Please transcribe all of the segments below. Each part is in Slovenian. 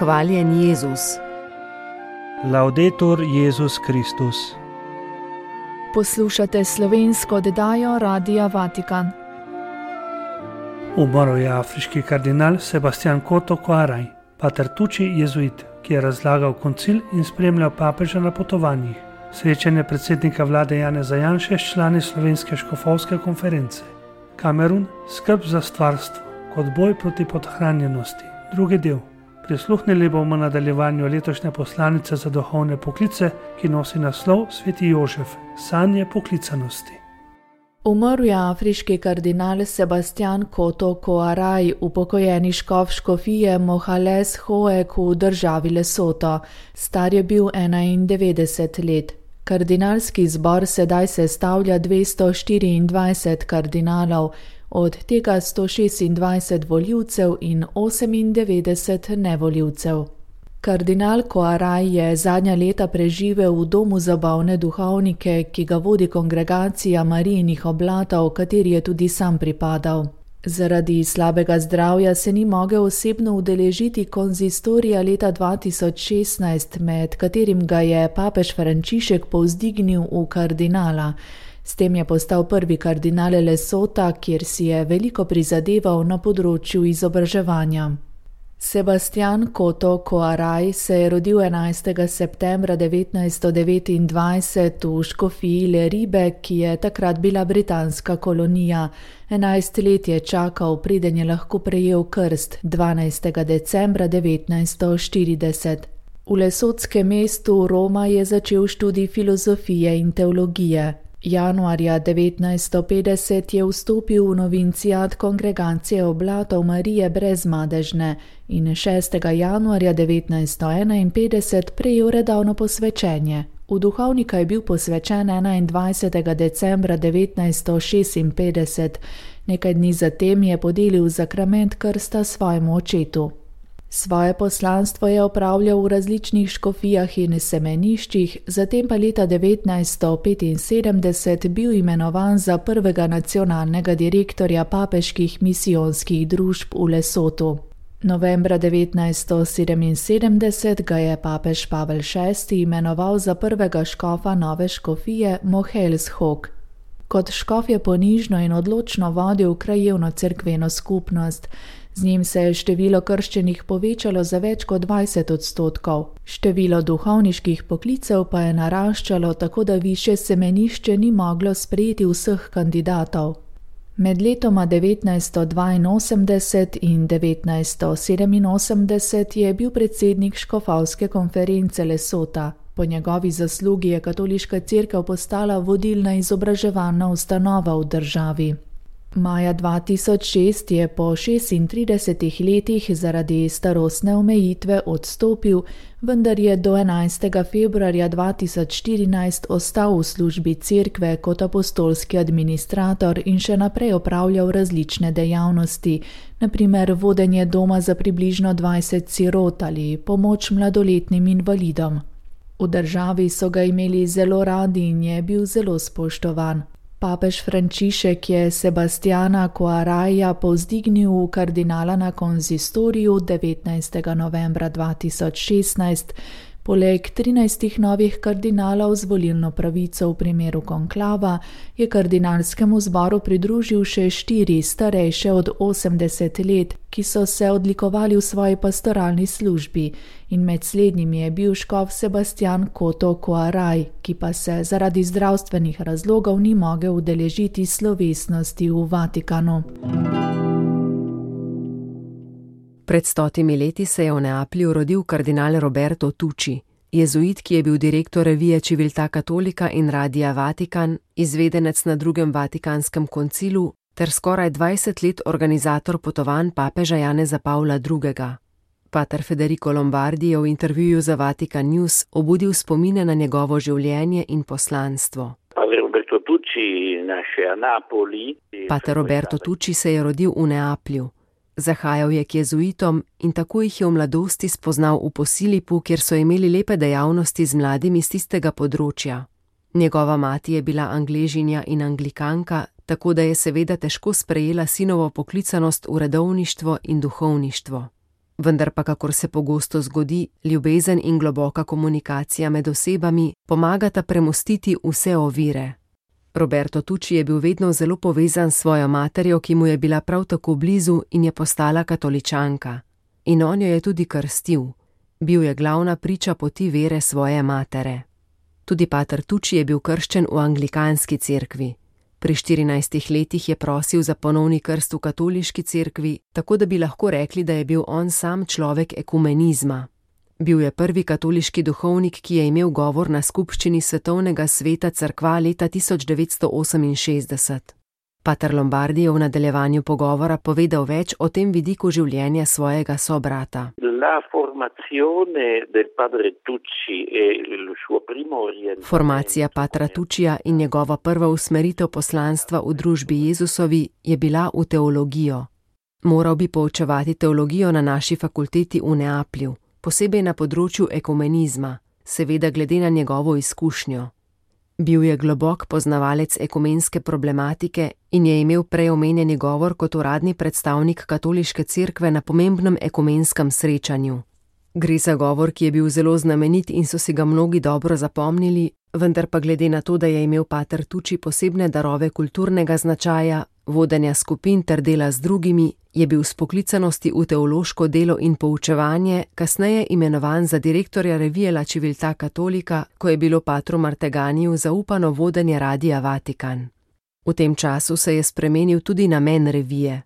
Hvaljen Jezus. Laudetur Jezus Kristus. Poslušate slovensko oddajo Radia Vatikan. Umrl je afriški kardinal Sebastian Coto Coaraj, pater Tucci jezuit, ki je razlagal koncil in spremljal papeža na potovanjih. Srečanje predsednika vlade Janeza Janše s člani slovenske škofovske konference. Kamerun, skrb za stvarstvo kot boj proti podhranjenosti. Drugi del. Prisluhnili bomo nadaljevanju letošnje poslanice za duhovne poklice, ki nosi naslov Sveti Jožef, sanje poklicanosti. Umrl je afriški kardinal Sebastian Coto Coaraj, upokojeni škof škofije Mohales Hoek v državi Lesoto. Star je bil 91 let. Kardinalski zbor sedaj sestavlja 224 kardinalov, od tega 126 volivcev in 98 nevolivcev. Kardinal Coaraj je zadnja leta preživel v domu za bolne duhovnike, ki ga vodi kongregacija Marijinih oblatov, kateri je tudi sam pripadal. Zaradi slabega zdravja se ni mogel osebno udeležiti konzistorija leta 2016, med katerim ga je papež Frančišek povzdignil v kardinala. S tem je postal prvi kardinal Lesota, kjer si je veliko prizadeval na področju izobraževanja. Sebastian Coto Coaraj se je rodil 11. septembra 1929 v škofiji Le Ribe, ki je takrat bila britanska kolonija. 11 let je čakal, preden je lahko prejel krst 12. decembra 1940. V lesotskem mestu Roma je začel študij filozofije in teologije. Januarja 1950 je vstopil v novincijat kongregacije oblatov Marije Brezmadežne in 6. januarja 1951 prejel redovno posvečenje. V duhovnika je bil posvečen 21. decembra 1956, nekaj dni zatem je podelil zakrament krsta svojemu očetu. Svoje poslanstvo je opravljal v različnih škofijah in semeniščih, zatem pa leta 1975 bil imenovan za prvega nacionalnega direktorja papeških misijonskih družb v Lesotu. Novembra 1977 ga je papež Pavel VI imenoval za prvega škofa nove škofije Mohales Hoek. Kot škof je ponižno in odločno vodil krajevno cerkveno skupnost. Z njim se je število krščenih povečalo za več kot 20%. Število duhovniških poklicev pa je naraščalo, tako da višje semenišče ni moglo sprejeti vseh kandidatov. Med letoma 1982 in 1987 je bil predsednik škofovske konference Lesota. Po njegovi zaslugi je katoliška cerkev postala vodilna izobraževalna ustanova v državi. Maja 2006 je po 36 letih zaradi starostne omejitve odstopil, vendar je do 11. februarja 2014 ostal v službi cerkve kot apostolski administrator in še naprej opravljal različne dejavnosti, na primer vodenje doma za približno 20 sirot ali pomoč mladoletnim invalidom. V državi so ga imeli zelo radi in je bil zelo spoštovan. Papež Frančišek je Sebastiana Coaraja povzdignil v kardinala na konzistoriju 19. novembra 2016, poleg 13 novih kardinalov z volilno pravico v primeru konklava je kardinalskemu zboru pridružil še 4 starejše od 80 let, ki so se odlikovali v svoji pastoralni službi, in med slednjimi je bil škof Sebastian Coto Coaraj, ki pa se zaradi zdravstvenih razlogov ni mogel udeležiti slovesnosti v Vatikanu. Pred 100 leti se je v Neaplju rodil kardinal Roberto Tucci, jezuit, ki je bil direktor revije Civiltà Cattolica in Radia Vatikan, izvedenec na drugem Vatikanskem koncilu ter skoraj 20 let organizator potovanj papeža Janeza Pavla II. Pater Federico Lombardi je v intervjuju za Vatikan News obudil spomine na njegovo življenje in poslanstvo. Pater Roberto Tucci se je rodil v Neaplju. Zahajal je k jezuitom in tako jih je v mladosti spoznal v Posilipu, kjer so imeli lepe dejavnosti z mladimi z tistega področja. Njegova mati je bila Angležinja in Anglikanka, tako da je seveda težko sprejela sinovo poklicanost v redovništvo in duhovništvo. Vendar pa, kakor se pogosto zgodi, ljubezen in globoka komunikacija med osebami pomagata premostiti vse ovire. Roberto Tucci je bil vedno zelo povezan s svojo materjo, ki mu je bila prav tako blizu in je postala katoličanka. In on jo je tudi krstil. Bil je glavna priča poti vere svoje matere. Tudi pater Tucci je bil krščen v anglikanski cerkvi. Pri 14 letih je prosil za ponovni krst v katoliški cerkvi, tako da bi lahko rekli, da je bil on sam človek ekumenizma. Bil je prvi katoliški duhovnik, ki je imel govor na skupščini Svetovnega sveta cerkva leta 1968. Pater Lombardi je v nadaljevanju pogovora povedal več o tem vidiku življenja svojega sobrata. Formacija patra Tuccija in njegova prva usmeritev poslanstva v družbi Jezusovi je bila v teologijo. Moral bi poučevati teologijo na naši fakulteti v Neaplju, posebej na področju ekumenizma, seveda glede na njegovo izkušnjo. Bil je globok poznavalec ekumenske problematike in je imel prej omenjeni govor kot uradni predstavnik katoliške cerkve na pomembnem ekumenskem srečanju. Gre za govor, ki je bil zelo znamenit in so si ga mnogi dobro zapomnili, vendar pa glede na to, da je imel pater Tucci posebne darove kulturnega značaja, vodenja skupin ter dela z drugimi, je bil s poklicanosti v teološko delo in poučevanje kasneje imenovan za direktorja revije La Civiltà Cattolica, ko je bilo patru Marteganiju zaupano vodenje Radia Vatikan. V tem času se je spremenil tudi namen revije.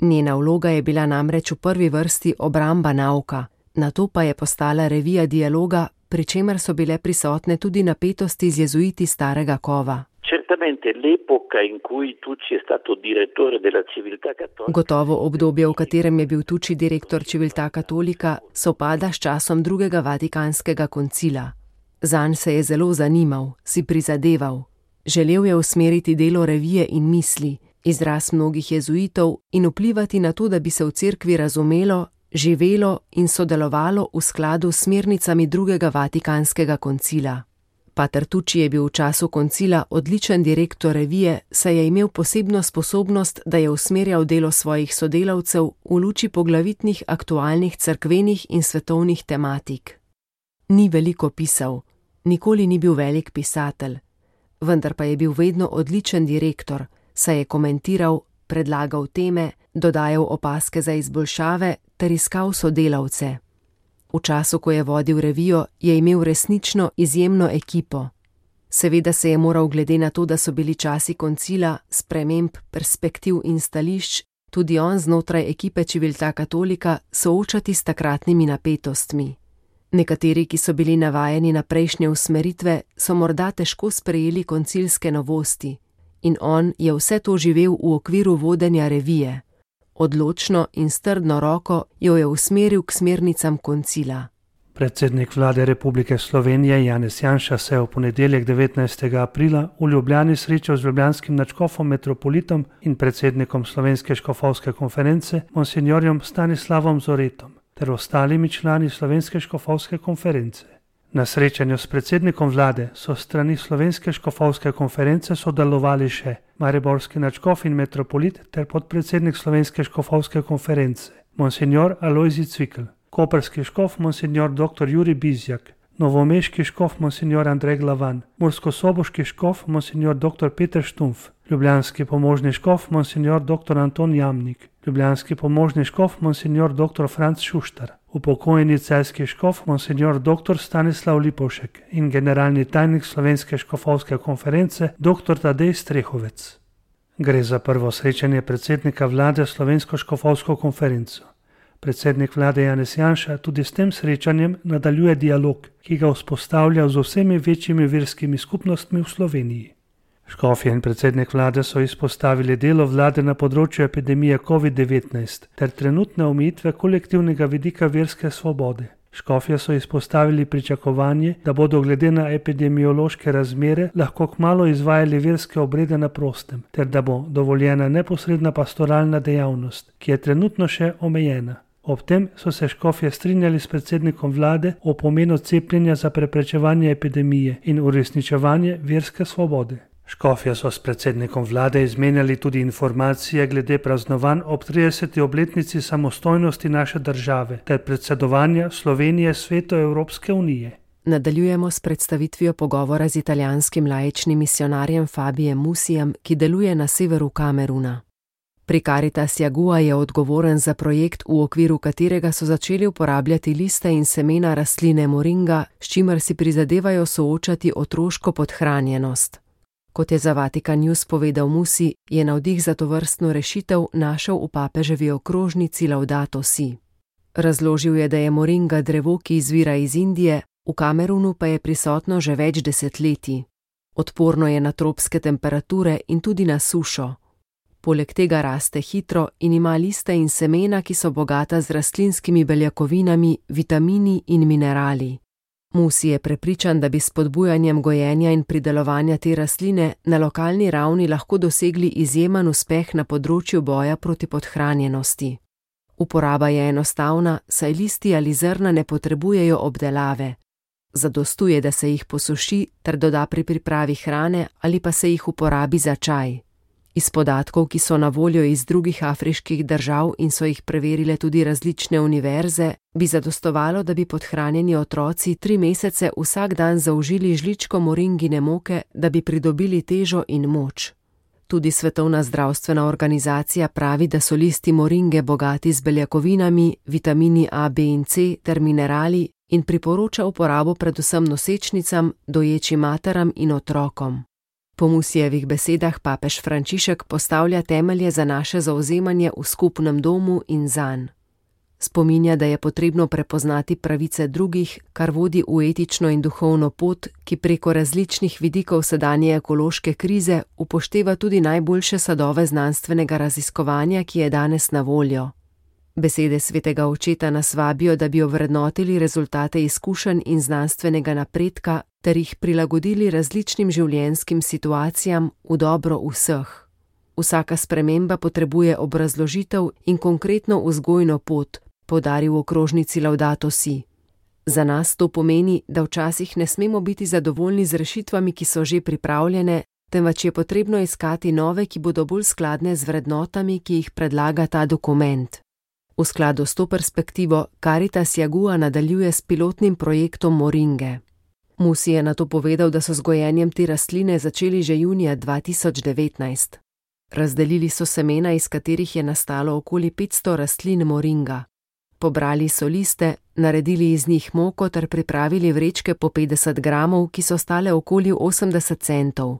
Njena vloga je bila namreč v prvi vrsti obramba nauka, nato pa je postala revija dialoga, pri čemer so bile prisotne tudi napetosti z jezuiti starega kova. Gotovo obdobje, v katerem je bil Tucci direktor Civiltà Cattolica, sovpada s časom drugega vatikanskega koncila. Zanj se je zelo zanimal, si prizadeval. Želel je usmeriti delo revije in misli, izraz mnogih jezuitov in vplivati na to, da bi se v cerkvi razumelo, živelo in sodelovalo v skladu s smernicami drugega vatikanskega koncila. Pater Tucci je bil v času koncila odličen direktor revije, saj je imel posebno sposobnost, da je usmerjal delo svojih sodelavcev v luči poglavitnih aktualnih cerkvenih in svetovnih tematik. Ni veliko pisal, nikoli ni bil velik pisatelj, vendar pa je bil vedno odličen direktor, saj je komentiral, predlagal teme, dodajal opazke za izboljšave ter iskal sodelavce. V času, ko je vodil revijo, je imel resnično izjemno ekipo. Seveda se je moral glede na to, da so bili časi koncila, sprememb, perspektiv in stališč, tudi on znotraj ekipe Civiltà Cattolica soočati s takratnimi napetostmi. Nekateri, ki so bili navajeni na prejšnje usmeritve, so morda težko sprejeli koncilske novosti in on je vse to živel v okviru vodenja revije. Odločno in s trdno roko jo je usmeril k smernicam koncila. Predsednik vlade Republike Slovenije Janez Janša se je v ponedeljek 19. aprila v Ljubljani srečal z ljubljanskim nadškofom metropolitom in predsednikom Slovenske škofovske konference monsinjorjem Stanislavom Zoretom ter ostalimi člani Slovenske škofovske konference. Na srečanju s predsednikom vlade so strani Slovenske škofovske konference sodelovali še mariborski nadškof in metropolit ter podpredsednik Slovenske škofovske konference, monsinjor Alojzij Cvikl, koprski škof monsinjor dr. Jurij Bizjak, novomeški škof monsinjor Andrej Glavan, murskosoboški škof monsinjor dr. Peter Štumf, ljubljanski pomožni škof monsinjor dr. Anton Jamnik, ljubljanski pomožni škof monsinjor dr. Franc Šuštar, upokojeni celjski škof monsinjor dr. Stanislav Lipovšek in generalni tajnik Slovenske škofovske konference dr. Tadej Strehovec. Gre za prvo srečanje predsednika vlade s Slovensko škofovsko konferenco. Predsednik vlade Janez Janša tudi s tem srečanjem nadaljuje dialog, ki ga vzpostavlja z vsemi večjimi verskimi skupnostmi v Sloveniji. Škofje in predsednik vlade so izpostavili delo vlade na področju epidemije COVID-19 ter trenutne omejitve kolektivnega vidika verske svobode. Škofje so izpostavili pričakovanje, da bodo glede na epidemiološke razmere lahko kmalu izvajali verske obrede na prostem, ter da bo dovoljena neposredna pastoralna dejavnost, ki je trenutno še omejena. Ob tem so se škofje strinjali s predsednikom vlade o pomenu cepljenja za preprečevanje epidemije in uresničevanje verske svobode. Škofje so s predsednikom vlade izmenjali tudi informacije glede praznovanj ob 30. obletnici samostojnosti naše države ter predsedovanja Slovenije Svetu Evropske unije. Nadaljujemo s predstavitvijo pogovora z italijanskim laičnim misionarjem Fabijem Musijem, ki deluje na severu Kameruna. Pri Caritas Jagua je odgovoren za projekt, v okviru katerega so začeli uporabljati liste in semena rastline moringa, s čimer si prizadevajo soočati otroško podhranjenost. Kot je za Vatikan News povedal Musi, je navdih za tovrstno rešitev našel v papeževi okrožnici Laudato Si. Razložil je, da je moringa drevo, ki izvira iz Indije, v Kamerunu pa je prisotno že več desetletij. Odporno je na tropske temperature in tudi na sušo. Poleg tega raste hitro in ima liste in semena, ki so bogata z rastlinskimi beljakovinami, vitamini in minerali. Musi je prepričan, da bi s spodbujanjem gojenja in pridelovanja te rastline na lokalni ravni lahko dosegli izjemen uspeh na področju boja proti podhranjenosti. Uporaba je enostavna, saj listi ali zrna ne potrebujejo obdelave. Zadostuje, da se jih posuši ter doda pri pripravi hrane ali pa se jih uporabi za čaj. Iz podatkov, ki so na voljo iz drugih afriških držav in so jih preverile tudi različne univerze, bi zadostovalo, da bi podhranjeni otroci 3 mesece vsak dan zaužili žličko moringine moke, da bi pridobili težo in moč. Tudi Svetovna zdravstvena organizacija pravi, da so listi moringe bogati z beljakovinami, vitamini A, B in C ter minerali in priporoča uporabo predvsem nosečnicam, doječim materam in otrokom. Po Musijevih besedah papež Frančišek postavlja temelje za naše zauzemanje v skupnem domu in zanj. Spominja, da je potrebno prepoznati pravice drugih, kar vodi v etično in duhovno pot, ki preko različnih vidikov sedanje ekološke krize upošteva tudi najboljše sadove znanstvenega raziskovanja, ki je danes na voljo. Besede svetega očeta nas vabijo, da bi ovrednotili rezultate izkušenj in znanstvenega napredka ter jih prilagodili različnim življenjskim situacijam v dobro vseh. Vsaka sprememba potrebuje obrazložitev in konkretno vzgojno pot, poudaril v okrožnici Laudato Si. Za nas to pomeni, da včasih ne smemo biti zadovoljni z rešitvami, ki so že pripravljene, temveč je potrebno iskati nove, ki bodo bolj skladne z vrednotami, ki jih predlaga ta dokument. V skladu s to perspektivo Caritas Jagua nadaljuje s pilotnim projektom moringe. Musi je nato povedal, da so z gojenjem te rastline začeli že junija 2019. Razdelili so semena, iz katerih je nastalo okoli 500 rastlin moringa. Pobrali so liste, naredili iz njih moko ter pripravili vrečke po 50 gramov, ki so stale okoli 80 centov.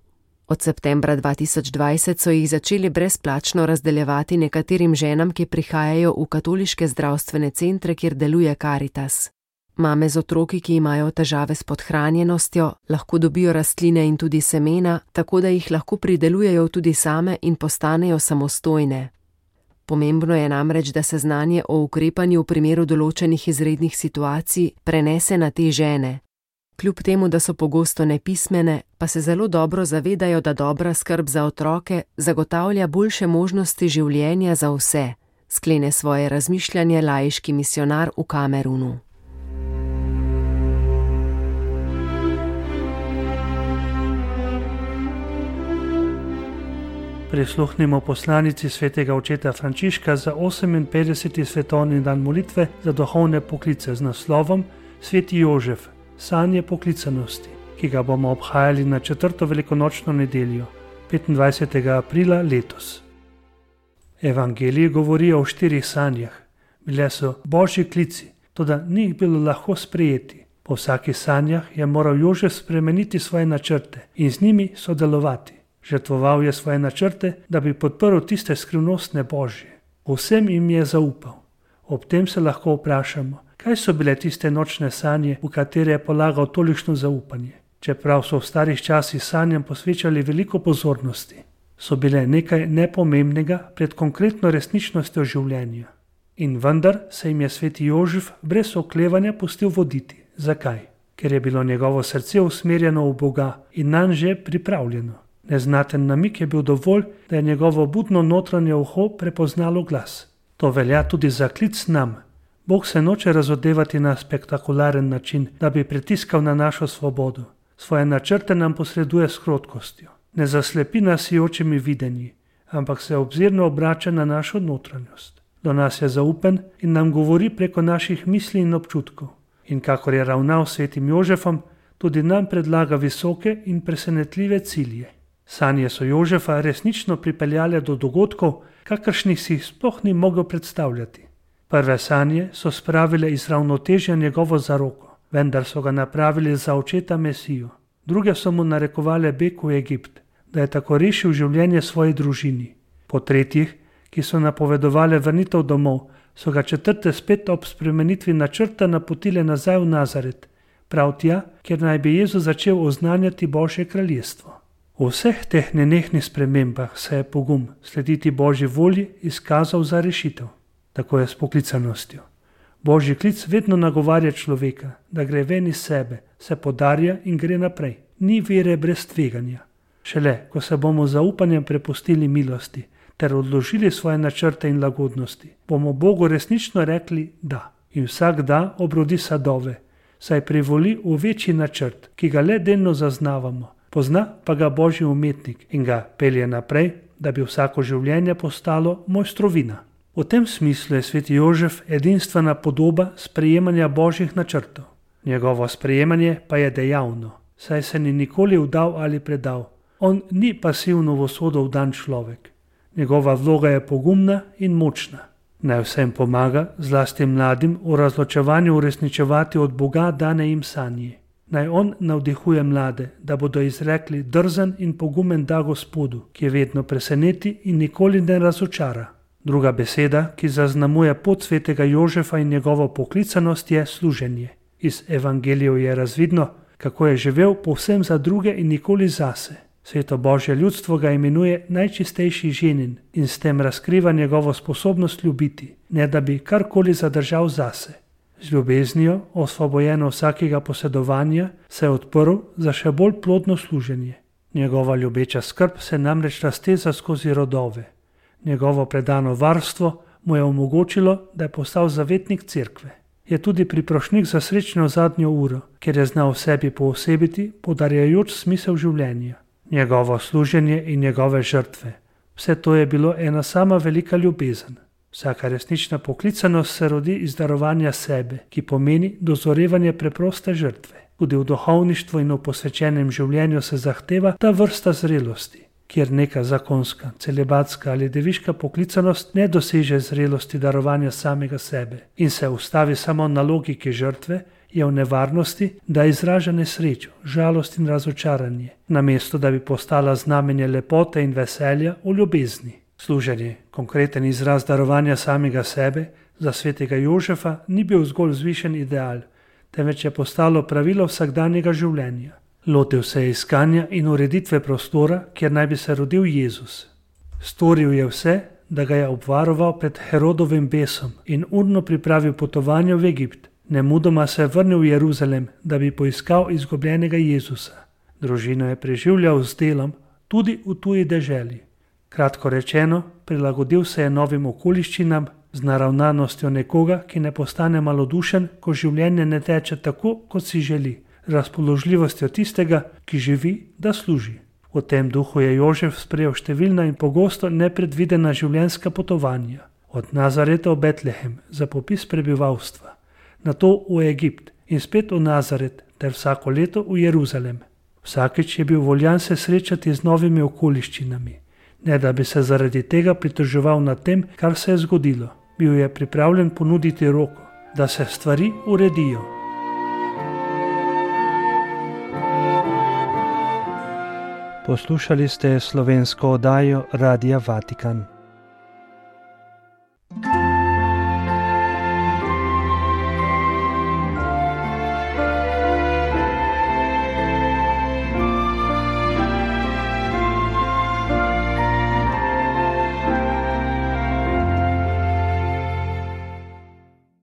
Od septembra 2020 so jih začeli brezplačno razdeljevati nekaterim ženam, ki prihajajo v katoliške zdravstvene centre, kjer deluje Caritas. Mame z otroki, ki imajo težave s podhranjenostjo, lahko dobijo rastline in tudi semena, tako da jih lahko pridelujejo tudi same in postanejo samostojne. Pomembno je namreč, da se znanje o ukrepanju v primeru določenih izrednih situacij prenese na te žene. Kljub temu, da so pogosto nepismene, pa se zelo dobro zavedajo, da dobra skrb za otroke zagotavlja boljše možnosti življenja za vse, sklene svoje razmišljanje laiški misionar v Kamerunu. Prisluhnimo poslanici svetega očeta Frančiška za 58. svetovni dan molitve za duhovne poklice z naslovom Sveti Jožef, sanje poklicanosti, ki ga bomo obhajali na 4. velikonočno nedeljo, 25. aprila letos. Evangelij govori o 4 sanjah. Bile so božji klici, toda ni jih bilo lahko sprejeti. Po vsakih sanjah je moral Jožef spremeniti svoje načrte in z njimi sodelovati. Žrtvoval je svoje načrte, da bi podprl tiste skrivnostne božje. Vsem jim je zaupal. Ob tem se lahko vprašamo, kaj so bile tiste nočne sanje, v katere je polagal tolikšno zaupanje. Čeprav so v starih časih sanjam posvečali veliko pozornosti, so bile nekaj nepomembnega pred konkretno resničnostjo življenja. In vendar se jim je sveti Jožef brez oklevanja pustil voditi. Zakaj? Ker je bilo njegovo srce usmerjeno v Boga in nanj že pripravljeno. Neznaten namig je bil dovolj, da je njegovo budno notranje uho prepoznalo glas. To velja tudi za klic nam. Bog se noče razodevati na spektakularen način, da bi pritiskal na našo svobodo. Svoje načrte nam posreduje s krotkostjo. Ne zaslepi nas sijočimi videnji, ampak se obzirno obrača na našo notranjost. Do nas je zaupen in nam govori preko naših misli in občutkov. In kakor je ravnal s svetim Jožefom, tudi nam predlaga visoke in presenetljive cilje. Sanje so Jožefa resnično pripeljale do dogodkov, kakršnih si jih sploh ni mogel predstavljati. Prve sanje so spravile iz ravnotežja njegovo zaroko, vendar so ga napravili za očeta Mesijo. Druge so mu narekovale beg v Egipt, da je tako rešil življenje svoji družini. Po tretjih, ki so napovedovale vrnitev domov, so ga četrte spet ob spremenitvi načrta napotile nazaj v Nazaret, prav tja, kjer naj bi Jezus začel oznanjati Božje kraljestvo. V vseh teh nenehnih spremembah se je pogum slediti Božji volji izkazal za rešitev. Tako je s poklicanostjo. Božji klic vedno nagovarja človeka, da gre ven iz sebe, se podarja in gre naprej. Ni vere brez tveganja. Šele, ko se bomo z zaupanjem prepustili milosti ter odložili svoje načrte in lagodnosti, bomo Bogu resnično rekli da. In vsak da obrodi sadove, saj privoli v večji načrt, ki ga le delno zaznavamo, pozna pa ga Božji umetnik in ga pelje naprej, da bi vsako življenje postalo mojstrovina. V tem smislu je sveti Jožef edinstvena podoba sprejemanja Božjih načrtov. Njegovo sprejemanje pa je dejavno, saj se ni nikoli vdal ali predal. On ni pasivno v usodo vdan človek. Njegova vloga je pogumna in močna. Naj vsem pomaga, zlasti mladim, v razločevanju uresničevati od Boga dane jim sanje. Naj on navdihuje mlade, da bodo izrekli drzen in pogumen da Gospodu, ki je vedno preseneti in nikoli ne razočara. Druga beseda, ki zaznamuje pot svetega Jožefa in njegovo poklicanost, je služenje. Iz evangelijev je razvidno, kako je živel povsem za druge in nikoli zase. Sveto Božje ljudstvo ga imenuje najčistejši ženin in s tem razkriva njegovo sposobnost ljubiti, ne da bi karkoli zadržal zase. Z ljubeznijo, osvobojeno vsakega posedovanja, se je odprl za še bolj plodno služenje. Njegova ljubeča skrb se namreč razteza skozi rodove. Njegovo predano varstvo mu je omogočilo, da je postal zavetnik cerkve. Je tudi priprošnik za srečno zadnjo uro, ker je znal v sebi poosebiti, podarjajoč smisel življenja. Njegovo služenje in njegove žrtve. Vse to je bilo ena sama velika ljubezen. Vsaka resnična poklicanost se rodi iz darovanja sebe, ki pomeni dozorevanje preproste žrtve. Tudi v duhovništvu in v posvečenem življenju se zahteva ta vrsta zrelosti, kjer neka zakonska, celibatska ali deviška poklicanost ne doseže zrelosti darovanja samega sebe in se ustavi samo na logiki žrtve, je v nevarnosti, da izraža nesrečo, žalost in razočaranje, namesto da bi postala znamenje lepote in veselja v ljubezni. Služenje, konkreten izraz darovanja samega sebe, za svetega Jožefa ni bil zgolj vzvišen ideal, temveč je postalo pravilo vsakdanjega življenja. Lotil se je iskanja in ureditve prostora, kjer naj bi se rodil Jezus. Storil je vse, da ga je obvaroval pred Herodovim besom in urno pripravil potovanje v Egipt. Nemudoma se je vrnil v Jeruzalem, da bi poiskal izgubljenega Jezusa. Družino je preživljal z delom, tudi v tuji deželi. Kratko rečeno, prilagodil se je novim okoliščinam z naravnanostjo nekoga, ki ne postane malodušen, ko življenje ne teče tako, kot si želi, razpoložljivostjo tistega, ki živi, da služi. V tem duhu je Jožef sprejel številna in pogosto nepredvidena življenjska potovanja. Od Nazareta v Betlehem za popis prebivalstva, nato v Egipt in spet v Nazaret ter vsako leto v Jeruzalem. Vsakič je bil voljan se srečati z novimi okoliščinami, ne da bi se zaradi tega pritoževal nad tem, kar se je zgodilo. Bil je pripravljen ponuditi roko, da se stvari uredijo. Poslušali ste slovensko oddajo Radia Vatikan.